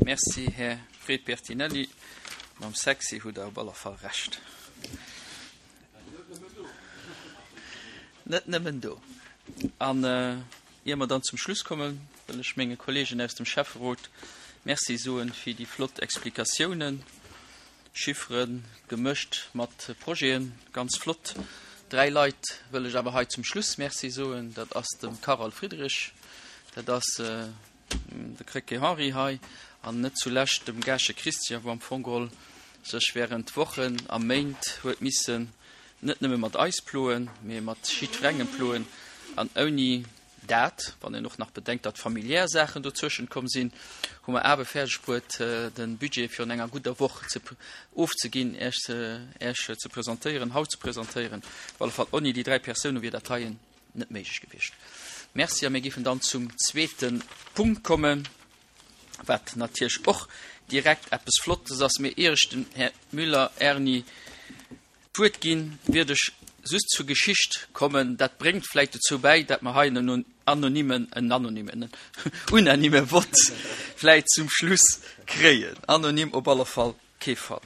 Merci, Här Fred Bertinelli. Mam sexy hutt Der op alle Fall Recht. Net nëmmen do. An ier mer dann zum Schluss kommen, wëll ech menge Kollegen aus dem Schäfferot Merci soen fir déi flott Explikatiounen. Chiffere gemëscht mat Projeten, ganz flott. Dräi Leit wëll ech awer hei zum Schluss Merci soen, dat ass dem Carole Friedrich, dat ass de Krecké Henri hei an net zulescht dem Gaasche Christian, wou am Fong geholl sech während Wochen a Méint huet missen net nëmme mat eis ploen, mee mat jiddwerengem ploen an ouni Dat, wann een och nach bedenkt, datt familiär Saachen dozwëschent komm sinn, hu mer awer fäerdeg bruet, de Budget virun enger gudder Woch ze ofzeginn, Iech ze Iech ze presentéieren, haut ze presentéieren. Op alle Fall, onni déi dräi Persoune wier dat heien net méiglech gewiescht. Merci a mir géifen dann zum zweete Punkt kommen, wat natierlech och direkt eppes Flottes ass. Mee ier ech dem Här Müller Erny D'Wuert ginn, wierd ech just zur Geschicht kommen. Dat bréngt vläicht dozou bäi, dat mer hei en anonymen, en anonymen, en unanime Vott vläicht zum Schluss kréien. Anonym op alle Fall kee Fall.